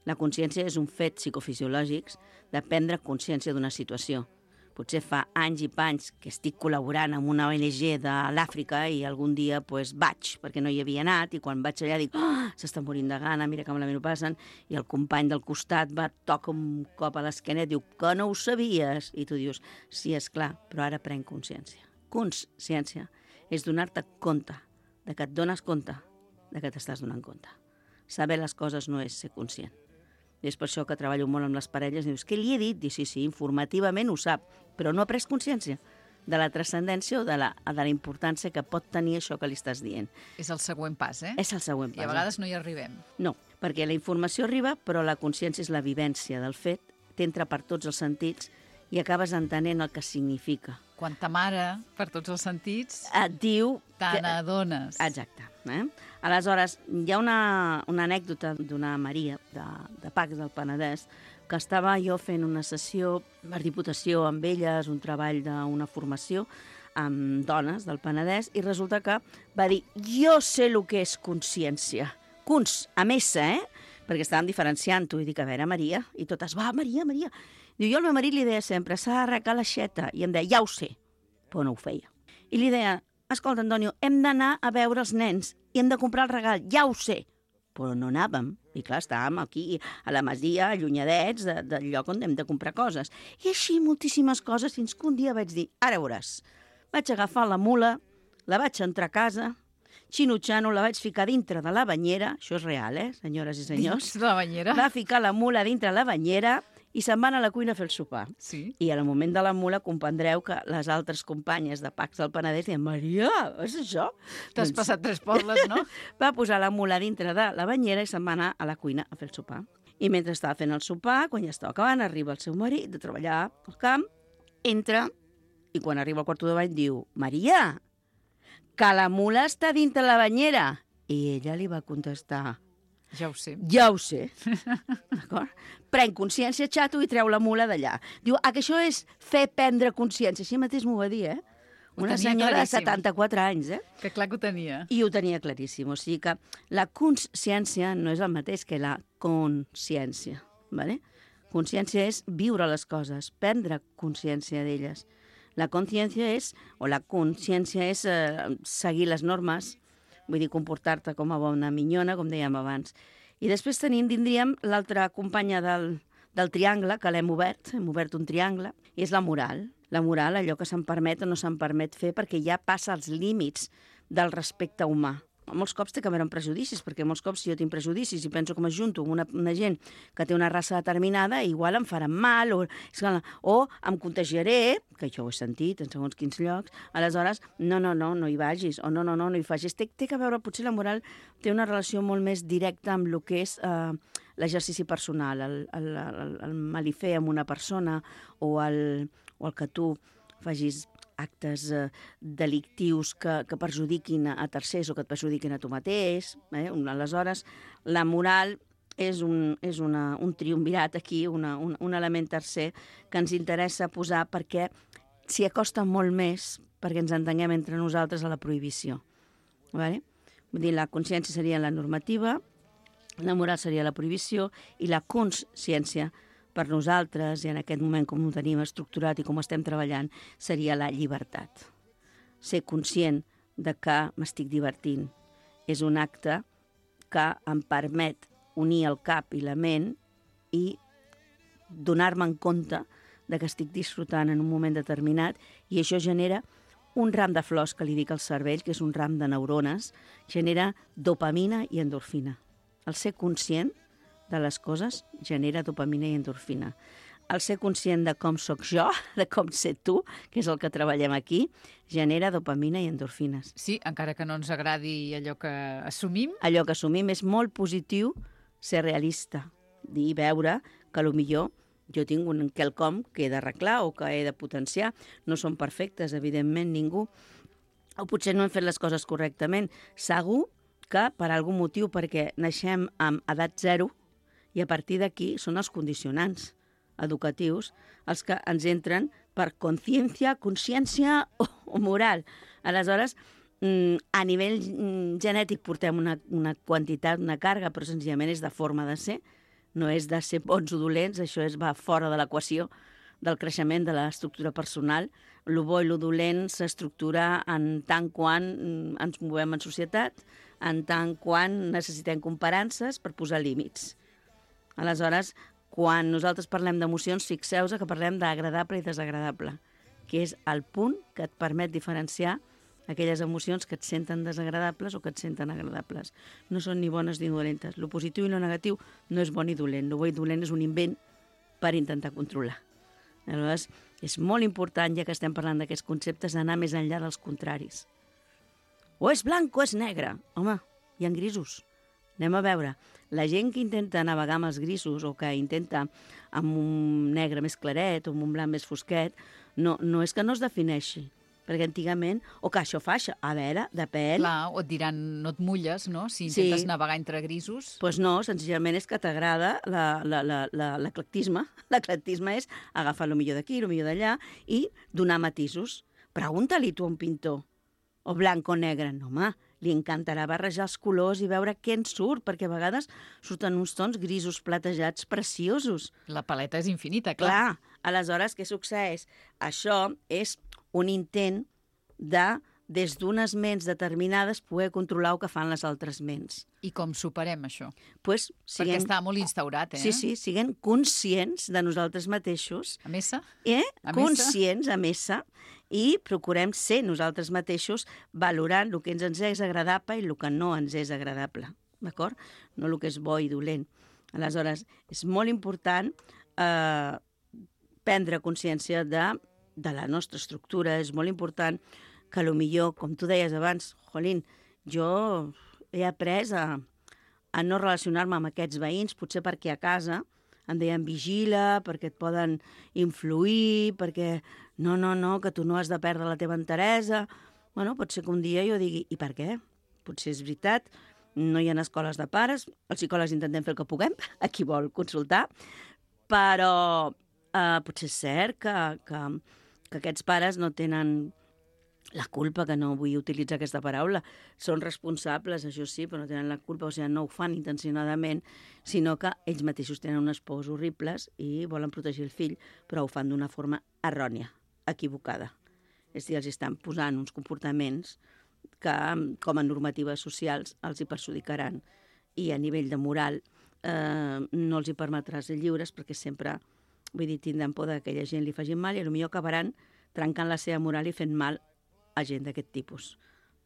La consciència és un fet psicofisiològic de prendre consciència d'una situació. Potser fa anys i panys que estic col·laborant amb una O N G de l'Àfrica i algun dia pues, vaig, perquè no hi havia anat, i quan vaig allà dic, oh, s'està morint de gana, mira que malament ho passen, i el company del costat va, toca un cop a l'esquena i diu, que no ho sabies? I tu dius, sí, és clar, però ara prenc consciència. Consciència és donar-te compte, de que et dones compte, de que t'estàs donant compte. Saber les coses no és ser conscient. I és per això que treballo molt amb les parelles i dius, què li he dit? Dius, sí, sí, informativament ho sap, però no ha pres consciència de la transcendència o de la, de la importància que pot tenir això que li estàs dient. És el següent pas, eh? És el següent pas. I a vegades no hi arribem. No, perquè la informació arriba, però la consciència és la vivència del fet, t'entra per tots els sentits i acabes entenent el que significa. Quan ta mare, per tots els sentits, et diu... te n'adones. Exacte. Eh? Aleshores, hi ha una, una anècdota d'una Maria de, de Pacs del Penedès que estava jo fent una sessió per Diputació amb elles, un treball d'una formació amb dones del Penedès, i resulta que va dir, jo sé el que és consciència. Cons, a messa, eh? Perquè estàvem diferenciant-ho, i dic, a veure, Maria, i totes, va, Maria, Maria. Diu, jo al meu marit li deia sempre, s'ha d'arrecar l'aixeta, i em deia, ja ho sé, però no ho feia. I li deia, escolta, Antonio, hem d'anar a veure els nens i hem de comprar el regal, ja ho sé. Però no anàvem. I clar, estàvem aquí a la masia, allunyadets de, del lloc on hem de comprar coses. I així moltíssimes coses, fins que un dia vaig dir, ara veuràs. Vaig agafar la mula, la vaig entrar a casa, xinutxano, la vaig ficar dintre de la banyera, això és real, eh, senyores i senyors? Dins de la banyera? Va ficar la mula dintre la banyera i se'n van a la cuina a fer el sopar. Sí. I al moment de la mula comprendreu que les altres companyes de Pacs del Penedès diuen, Maria, és això? T'has Doncs passat tres pobles, no? va posar la mula dintre de la banyera i se'n va anar a la cuina a fer el sopar. I mentre estava fent el sopar, quan ja estava acabant, arriba el seu marit de treballar al camp, entra, i quan arriba al quarto de bany diu, Maria, que la mula està dintre la banyera. I ella li va contestar, ja ho sé. ja ho sé. D'acord? Pren consciència, xato, i treu la mula d'allà. Diu, ah, que això és fer prendre consciència. Així mateix m'ho va dir, eh? Ho Una tenia senyora de claríssim. setanta-quatre anys, eh? Que clar que ho tenia. I ho tenia claríssim. O sigui que la consciència no és el mateix que la consciència. ¿Vale? Consciència és viure les coses, prendre consciència d'elles. La consciència és, o la consciència és eh, seguir les normes, vull dir, comportar-te com a bona minyona, com dèiem abans. I després tenim, tindríem l'altra companya del, del triangle, que l'hem obert, hem obert un triangle, i és la moral. La moral, allò que se'n permet o no se'n permet fer, perquè ja passa els límits del respecte humà. Molts cops té que veure amb prejudicis, perquè molts cops si jo tinc prejudicis i penso que m'ajunto amb una, una gent que té una raça determinada, igual em faran mal, o, o em contagiaré, que jo ho he sentit en segons quins llocs, aleshores, no, no, no, no hi vagis, o no, no, no, no hi facis. Té, té que veure, potser la moral té una relació molt més directa amb el que és eh, l'exercici personal, el, el, el, el malifer amb una persona, o el, o el que tu facis actes eh, delictius que, que perjudiquin a tercers o que et perjudiquin a tu mateix. Eh? Aleshores, la moral és un, és una, un triumvirat aquí, una, un, un element tercer que ens interessa posar perquè s'hi acosta molt més perquè ens entenguem entre nosaltres a la prohibició. Vale? Vull dir, la consciència seria la normativa, la moral seria la prohibició i la consciència per nosaltres, i en aquest moment com ho tenim estructurat i com estem treballant, seria la llibertat. Ser conscient de que m'estic divertint és un acte que em permet unir el cap i la ment i donar-me en compte de que estic disfrutant en un moment determinat, i això genera un ram de flors que li dic al cervell, que és un ram de neurones, genera dopamina i endorfina. El ser conscient de les coses genera dopamina i endorfina. El ser conscient de com sóc jo, de com sé tu, que és el que treballem aquí, genera dopamina i endorfines. Sí, encara que no ens agradi allò que assumim. Allò que assumim és molt positiu, ser realista, dir i veure que potser jo tinc un quelcom que he d'arreglar o que he de potenciar. No són perfectes, evidentment, ningú. O potser no hem fet les coses correctament. Segur que per algun motiu, perquè naixem amb edat zero, i a partir d'aquí són els condicionants educatius els que ens entren per consciència, consciència o, o moral. Aleshores, a nivell genètic portem una, una quantitat, una càrrega, però senzillament és de forma de ser, no és de ser bons o dolents, això és, va fora de l'equació del creixement de l'estructura personal. Lo bo i lo dolent s'estructura en tant quan ens movem en societat, en tant quan necessitem comparances per posar límits. Aleshores, quan nosaltres parlem d'emocions, fixeu-vos que parlem d'agradable i desagradable, que és el punt que et permet diferenciar aquelles emocions que et senten desagradables o que et senten agradables. No són ni bones ni dolentes. Lo positiu i lo negatiu no és bon ni dolent. Lo bo i dolent és un invent per intentar controlar. Aleshores, és molt important, ja que estem parlant d'aquests conceptes, d'anar més enllà dels contraris. O és blanc o és negre. Home, hi ha grisos. Anem a veure. La gent que intenta navegar amb els grisos o que intenta amb un negre més claret o amb un blanc més fosquet, no, no és que no es defineixi. Perquè antigament, o que això fa això, a veure, depèn. Clar, o et diran, no et mulles, no?, si intentes sí. navegar entre grisos. Doncs pues no, senzillament és que t'agrada l'eclectisme. L'eclectisme és agafar el millor d'aquí, el millor d'allà i donar matisos. Pregunta-li tu a un pintor, o blanc o negre. No, home, li encantarà barrejar els colors i veure què en surt, perquè a vegades surten uns tons grisos platejats preciosos. La paleta és infinita, clar. Clar, aleshores, què succeeix? Això és un intent de, des d'unes ments determinades, poder controlar el que fan les altres ments. I com superem això? Pues, siguem... Perquè està molt instaurat, eh? Sí, sí, siguem conscients de nosaltres mateixos. A messa? Eh? A conscients, messa? a messa, i procurem ser nosaltres mateixos valorant el que ens és agradable i el que no ens és agradable, d'acord? No el que és bo i dolent. Aleshores, és molt important eh, prendre consciència de de la nostra estructura. És molt important que potser, com tu deies abans, Jolín, jo he après a, a no relacionar-me amb aquests veïns, potser perquè a casa em deien vigila, perquè et poden influir, perquè no, no, no, que tu no has de perdre la teva enteresa. Bueno, pot ser que un dia jo digui, i per què? Potser és veritat, no hi ha escoles de pares, els psicòlegs intentem fer el que puguem, a qui vol consultar, però eh, potser és cert que, que que aquests pares no tenen la culpa, que no vull utilitzar aquesta paraula, són responsables, això sí, però no tenen la culpa, o sigui, no ho fan intencionadament, sinó que ells mateixos tenen unes pors horribles i volen protegir el fill, però ho fan d'una forma errònia, equivocada. És a dir, els estan posant uns comportaments que, com a normatives socials, els hi perjudicaran. I a nivell de moral eh, no els hi permetrà ser lliures, perquè sempre... Vull dir, tindran por que aquella gent li facin mal i potser acabaran trencant la seva moral i fent mal a gent d'aquest tipus,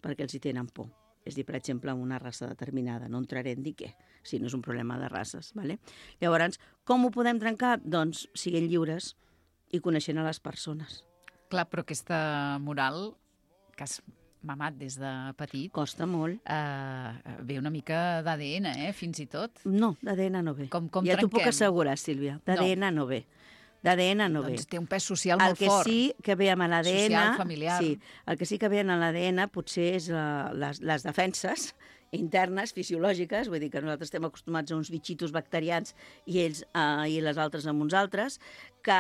perquè els hi tenen por. És a dir, per exemple, una raça determinada. No entraré en dir què, si no és un problema de races. Vale? Llavors, com ho podem trencar? Doncs siguent lliures i coneixent a les persones. Clar, però aquesta moral que has mamat des de petit... Costa molt. Eh, ve una mica d'A D N, eh, fins i tot. No, d'A D N no ve. Com, com ja t'ho puc trenquem? assegurar, Sílvia. D'A D N no. no ve. D'A D N no ve. Doncs té un pes social el molt que fort. sí que ve amb l'A D N... Social, familiar. Sí, el que sí que ve en l'A D N potser és la, les, les defenses internes, fisiològiques, vull dir que nosaltres estem acostumats a uns bitxitos bacterians i ells eh, i les altres amb uns altres, que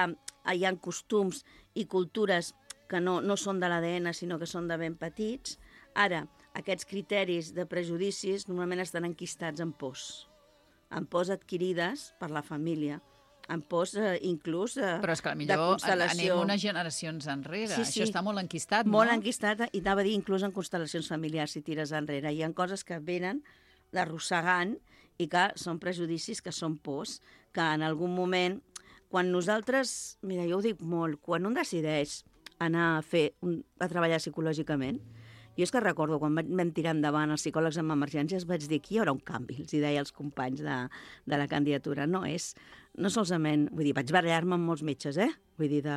hi ha costums i cultures que no, no són de l'A D N, sinó que són de ben petits. Ara, aquests criteris de prejudicis normalment estan enquistats en pors, en pors adquirides per la família, en pors eh, inclús eh, Però és que de potser constel·lació. anem unes generacions enrere. Sí, sí. Això està molt enquistat, Molt no? enquistat, i anava a dir inclús en constel·lacions familiars, si tires enrere. Hi ha coses que venen arrossegant i que són prejudicis, que són pors, que en algun moment, quan nosaltres, mira, jo ho dic molt, quan un decideix anar a fer, un, a treballar psicològicament, jo és que recordo, quan vam tirar endavant els psicòlegs amb emergències, vaig dir que hi haurà un canvi, els hi deia als companys de, de la candidatura. No és, no solament, vull dir, vaig barallar-me amb molts metges, eh? Vull dir, de,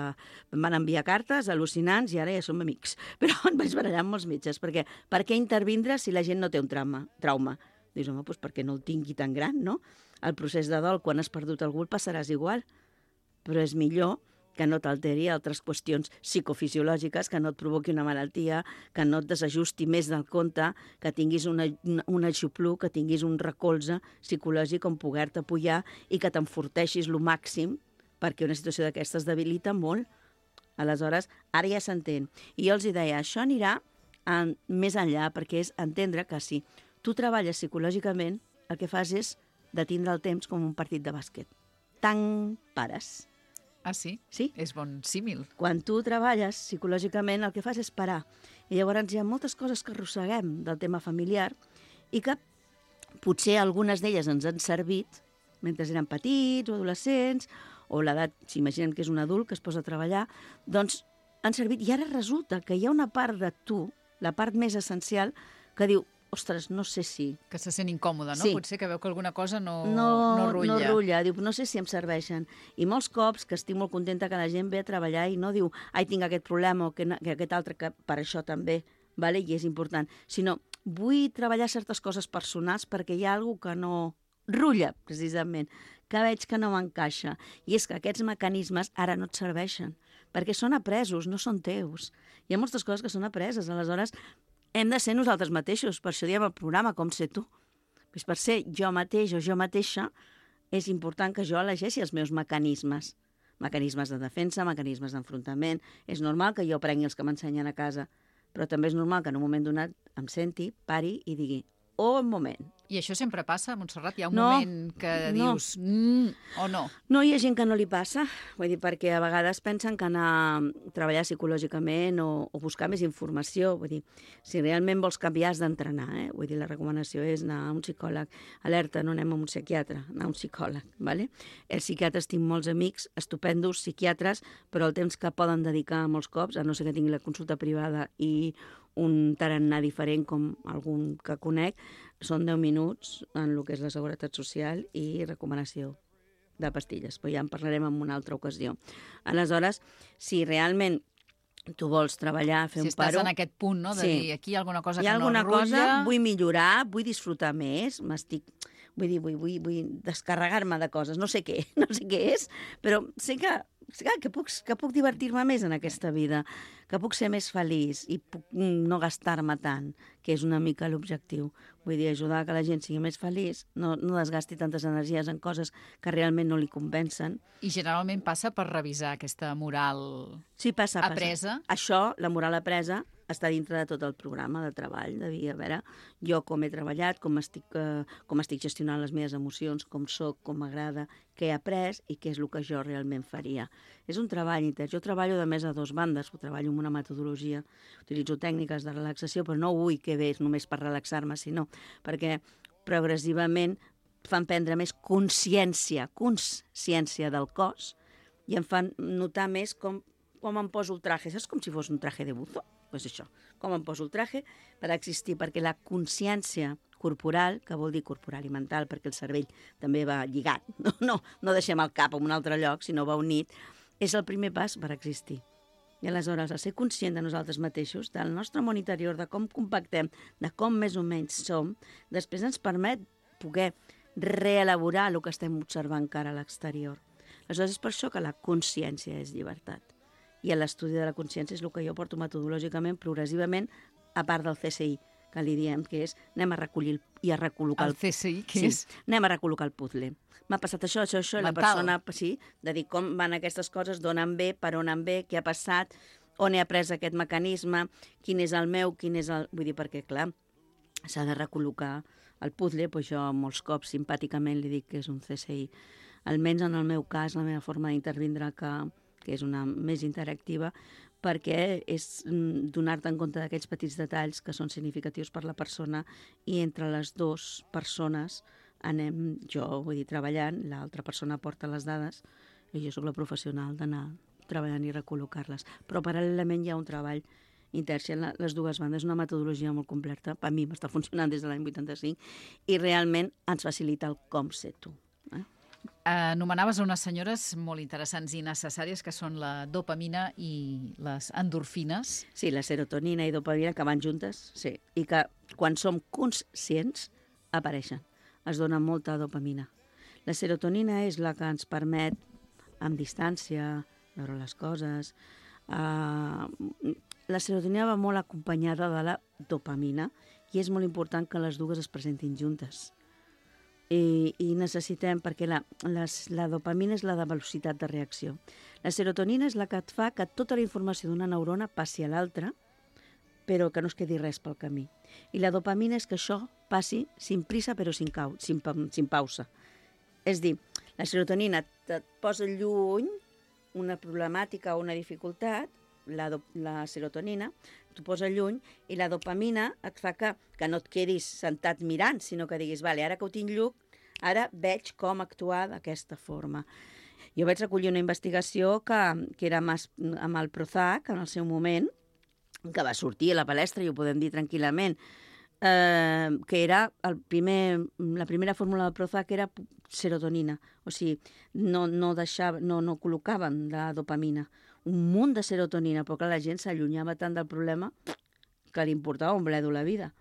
em van enviar cartes al·lucinants i ara ja som amics. Però em vaig barallar amb molts metges, perquè per què intervindre si la gent no té un trauma? trauma? Dius, home, doncs perquè no el tingui tan gran, no? El procés de dol, quan has perdut algú, el passaràs igual. Però és millor que no t'alteri altres qüestions psicofisiològiques, que no et provoqui una malaltia, que no et desajusti més del compte, que tinguis una, un aixopluc, que tinguis un recolze psicològic on poder-te apoyar i que t'enforteixis lo màxim, perquè una situació d'aquestes debilita molt. Aleshores, ara ja s'entén. I jo els hi deia, això anirà en, més enllà, perquè és entendre que si tu treballes psicològicament, el que fas és de tindre el temps com un partit de bàsquet. Tant pares. Ah, sí? Sí. És bon símil. Quan tu treballes psicològicament, el que fas és parar. I llavors hi ha moltes coses que arrosseguem del tema familiar i que potser algunes d'elles ens han servit mentre eren petits o adolescents, o l'edat, s'imaginen que és un adult que es posa a treballar, doncs han servit. I ara resulta que hi ha una part de tu, la part més essencial, que diu, ostres, no sé si... Que se sent incòmode, no? Sí. Potser que veu que alguna cosa no, no, no rutlla. No rutlla, diu, no sé si em serveixen. I molts cops que estic molt contenta que la gent ve a treballar i no diu, ai, tinc aquest problema o que, que aquest altre, que per això també, vale? I és important, sinó vull treballar certes coses personals perquè hi ha alguna que no rutlla, precisament, que veig que no m'encaixa. I és que aquests mecanismes ara no et serveixen, perquè són apresos, no són teus. Hi ha moltes coses que són apreses, aleshores hem de ser nosaltres mateixos, per això diem el programa Com ser tu. Pues per ser jo mateix o jo mateixa és important que jo elegeixi els meus mecanismes. Mecanismes de defensa, mecanismes d'enfrontament. És normal que jo prengui els que m'ensenyen a casa, però també és normal que en un moment donat em senti, pari i digui, oh, un moment. I això sempre passa, Montserrat? Hi ha un No, moment que no. dius, mm, o no? No, hi ha gent que no li passa, vull dir, perquè a vegades pensen que anar a treballar psicològicament o, o buscar més informació, vull dir, si realment vols canviar has d'entrenar, eh? Vull dir, la recomanació és anar a un psicòleg, alerta, no anem a un psiquiatre, anar a un psicòleg, vale? Els psiquiatres tinc molts amics, estupendos psiquiatres, però el temps que poden dedicar molts cops, a no ser que tingui la consulta privada i un tarannà diferent com algun que conec, són deu minuts en el que és la seguretat social i recomanació de pastilles, però ja en parlarem en una altra ocasió. Aleshores, si realment tu vols treballar, fer Si un estàs paro... en aquest punt, no?, de Sí. dir, aquí hi ha alguna cosa Hi ha que alguna no rutlla... cosa, vull millorar, vull disfrutar més, m'estic... Vull dir, vull, vull, vull descarregar-me de coses, no sé què, no sé què és, però sé que, sé que, puc, que puc divertir-me més en aquesta vida, que puc ser més feliç i puc no gastar-me tant, que és una mica l'objectiu. Vull dir, ajudar que la gent sigui més feliç, no, no desgasti tantes energies en coses que realment no li convencen. I generalment passa per revisar aquesta moral Sí, passa, passa. apresa. Això, la moral apresa, està dintre de tot el programa de treball, de dir, a veure, jo com he treballat, com estic, eh, com estic gestionant les meves emocions, com sóc, com m'agrada, què he après i què és el que jo realment faria. És un treball intern. Jo treballo de més a dos bandes, ho treballo amb una metodologia, utilitzo tècniques de relaxació, però no vull que ve només per relaxar-me, sinó perquè progressivament fan prendre més consciència, consciència del cos i em fan notar més com, com em poso el traje. Saps com si fos un traje de buzo? Doncs això, com em poso el traje per existir, perquè la consciència corporal, que vol dir corporal i mental, perquè el cervell també va lligat, no, no, no deixem el cap en un altre lloc, sinó va unit, és el primer pas per existir. I aleshores, a ser conscient de nosaltres mateixos, del nostre món interior, de com compactem, de com més o menys som, després ens permet poder reelaborar el que estem observant encara a l'exterior. Aleshores, és per això que la consciència és llibertat. I l'estudi de la consciència és el que jo porto metodològicament, progressivament, a part del C S I, que li diem que és anem a recollir i a recol·locar... El C S I, què sí, és? Anem a recol·locar el puzzle. M'ha passat això, això, això, i la persona, sí, de dir com van aquestes coses, d'on en ve, per on en ve, què ha passat, on he après aquest mecanisme, quin és el meu, quin és el... Vull dir, perquè, clar, s'ha de recol·locar el puzzle, doncs jo molts cops simpàticament li dic que és un C S I. Almenys en el meu cas, la meva forma d'intervindre, que, que és una més interactiva, perquè és donar-te en compte d'aquests petits detalls que són significatius per la persona i entre les dues persones anem, jo vull dir, treballant, l'altra persona porta les dades i jo sóc la professional d'anar treballant i recol·locar-les. Però paral·lelament hi ha un treball intern en les dues bandes, una metodologia molt completa, per mi m'està funcionant des de l'any vuitanta-cinc i realment ens facilita el com ser tu. Eh? Anomenaves unes senyores molt interessants i necessàries que són la dopamina i les endorfines. Sí, la serotonina i dopamina que van juntes, sí, i que quan som conscients apareixen. Es dona molta dopamina. La serotonina és la que ens permet, amb distància, veure les coses. Uh, la serotonina va molt acompanyada de la dopamina i és molt important que les dues es presentin juntes. I, i necessitem, perquè la, les, la dopamina és la de velocitat de reacció. La serotonina és la que et fa que tota la informació d'una neurona passi a l'altra, però que no es quedi res pel camí. I la dopamina és que això passi sin prisa però sin, cau, sin, sin pausa. És dir, la serotonina et posa lluny una problemàtica o una dificultat, la, do, la serotonina t'ho posa lluny, i la dopamina et fa que, que no et quedis sentat mirant, sinó que diguis, vale, ara que ho tinc lluny, ara veig com actuar d'aquesta forma. Jo vaig recollir una investigació que, que era amb el Prozac, en el seu moment, que va sortir a la palestra, i ho podem dir tranquil·lament, eh, que era el primer, la primera fórmula del Prozac era serotonina, o sigui, no, no, deixava, no, no col·locaven la dopamina, un munt de serotonina, però clar, la gent s'allunyava tant del problema que li importava un bledo la vida.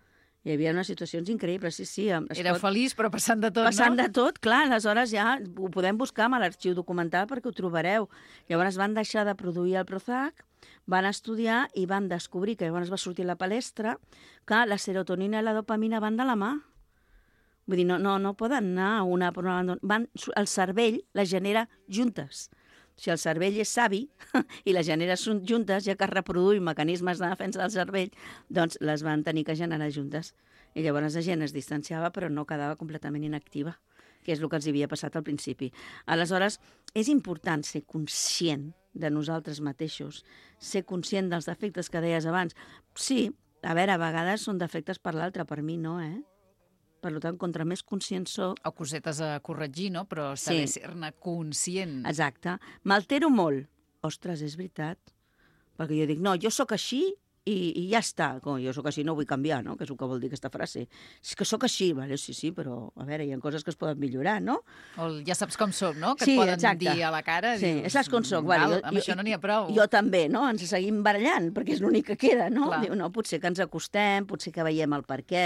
Hi havia unes situacions increïbles, sí, sí. Era pot... feliç, però passant de tot, passant no? Passant de tot, clar, aleshores ja ho podem buscar amb l'arxiu documental perquè ho trobareu. Llavors van deixar de produir el Prozac, van estudiar i van descobrir, que llavors va sortir a la palestra, que la serotonina i la dopamina van de la mà. Vull dir, no, no, no poden anar una per una banda. Van, el cervell les genera juntes. Si el cervell és savi i les genera juntes, ja que es reproduï mecanismes de defensa del cervell, doncs les van tenir que generar juntes. I llavors la gent es distanciava però no quedava completament inactiva, que és el que els havia passat al principi. Aleshores, és important ser conscient de nosaltres mateixos, ser conscient dels defectes que deies abans. Sí, a veure, a vegades són defectes per l'altre, per mi no, eh? Per tant, contra més conscient soc... O cosetes a corregir, no? Però saber sí. ser-ne conscient. Exacte. M'altero molt. Ostres, és veritat. Perquè jo dic, no, jo sóc així i, i ja està. Com jo sóc així, no vull canviar, no? Que és el que vol dir aquesta frase. És que sóc així, vale? Sí, sí, però a veure, hi ha coses que es poden millorar, no? O ja saps com soc, no? Que sí, et poden exacte. dir a la cara. Sí, dius, saps com soc. Vale, val, jo, amb jo, això no n'hi ha prou. Jo també, no? Ens seguim barallant, perquè és l'únic que queda, no? Clar. Diu, no, potser que ens acostem, potser que veiem el per què.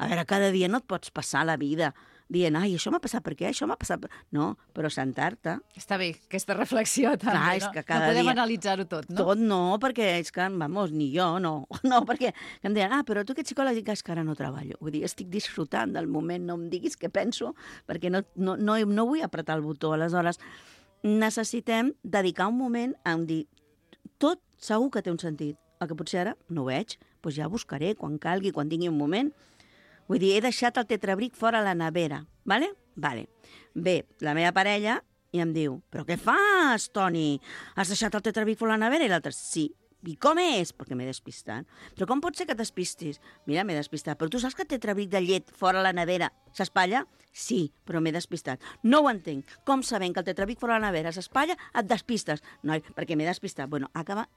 A veure, cada dia no et pots passar la vida dient, ai, això m'ha passat per què, això m'ha passat per... No, però sentar-te... Està bé, aquesta reflexió també, Clar, és no? que cada no podem dia... analitzar-ho tot, no? Tot no, perquè és que, vamos, ni jo, no. No, perquè em deien, ah, però tu que ets psicòleg, dic, és que ara no treballo. Vull dir, estic disfrutant del moment, no em diguis què penso, perquè no, no, no, no vull apretar el botó. Aleshores, necessitem dedicar un moment a dir, tot segur que té un sentit. El que potser ara no ho veig, doncs ja buscaré quan calgui, quan tingui un moment. Vull dir, he deixat el tetrabric fora a la nevera, vale? Vale. Bé, la meva parella i em diu, però què fas, Toni? Has deixat el tetrabric fora a la nevera? I l'altre, sí. I com és? Perquè m'he despistat. Però com pot ser que t'espistis? Mira, m'he despistat. Però tu saps que el tetrabric de llet fora a la nevera s'espatlla? Sí, però m'he despistat. No ho entenc. Com sabent que el tetrabric fora a la nevera s'espatlla, et despistes? Noi, perquè m'he despistat. Bueno, acaba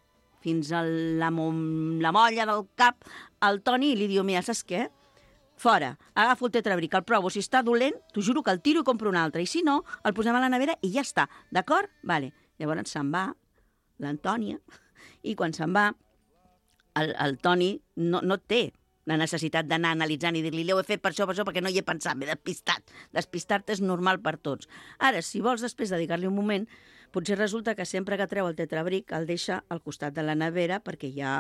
fins a la, la molla del cap al Toni i li diu, mira, saps què? Fora, agafo el tetrabric, el provo, si està dolent, t'ho juro que el tiro i compro un altre, i si no, el posem a la nevera i ja està, d'acord? Vale. Llavors se'n va l'Antònia I quan se'n va, el, el Toni no, no té la necessitat d'anar analitzant i dir-li ho he fet per això, per això, perquè no hi he pensat, m'he despistat. Despistar-te és normal per tots. Ara, si vols després dedicar-li un moment, potser resulta que sempre que treu el tetrabric el deixa al costat de la nevera perquè hi ha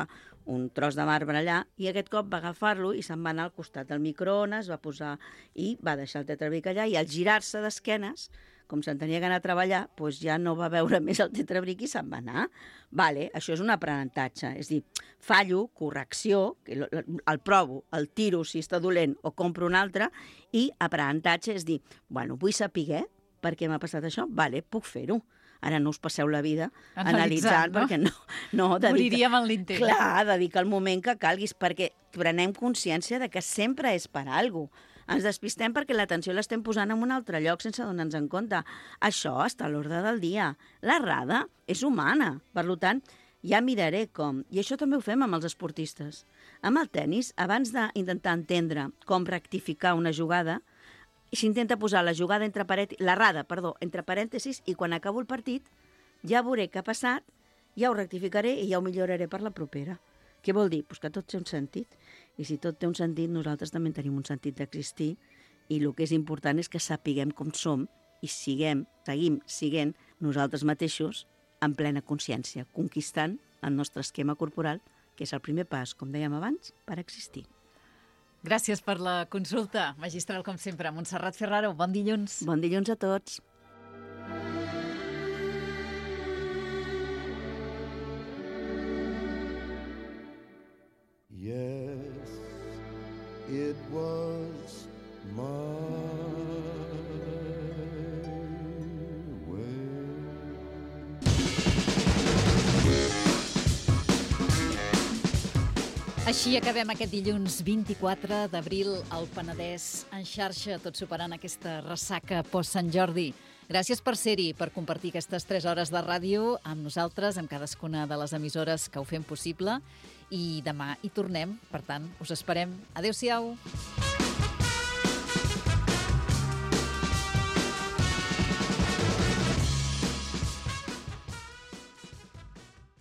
un tros de marbre allà i aquest cop va agafar-lo i se'n va anar al costat del microones, va posar i va deixar el tetrabric allà i al girar-se d'esquenes, com se'n tenia que anar a treballar, doncs ja no va veure més el tetrabric i se'n va anar. Vale, això és un aprenentatge. És dir, fallo, correcció, el provo, el tiro si està dolent o compro un altre, i aprenentatge és dir, bueno, vull saber per què m'ha passat això, vale, puc fer-ho. Ara no us passeu la vida analitzant, analitzant no? perquè no... no dedica, moriríem en l'intent. Clar, dedica el moment que calguis, perquè prenem consciència de que sempre és per alguna cosa. Ens despistem perquè l'atenció l'estem posant en un altre lloc sense donar-nos en compte. Això està a l'ordre del dia. L'errada és humana. Per tant, ja miraré com. I això també ho fem amb els esportistes. Amb el tennis, abans d'intentar entendre com rectificar una jugada, s'intenta posar la jugada entre parèntesis, l'errada, perdó, entre parèntesis, i quan acabo el partit ja veuré què ha passat, ja ho rectificaré i ja ho milloraré per la propera. Què vol dir? Pues que tot té un sentit. I si tot té un sentit, nosaltres també tenim un sentit d'existir i el que és important és que sapiguem com som i siguem, seguim siguent nosaltres mateixos en plena consciència, conquistant el nostre esquema corporal, que és el primer pas, com dèiem abans, per existir. Gràcies per la consulta, magistral, com sempre. Montserrat Ferraro, bon dilluns. Bon dilluns a tots. Yes, it was my way. Així acabem aquest dilluns vint-i-quatre d'abril al Penedès en xarxa, tot superant aquesta ressaca post-Sant Jordi. Gràcies per ser-hi, per compartir aquestes tres hores de ràdio amb nosaltres, amb cadascuna de les emissores que ho fem possible. I demà hi tornem, per tant, us esperem. Adéu-siau.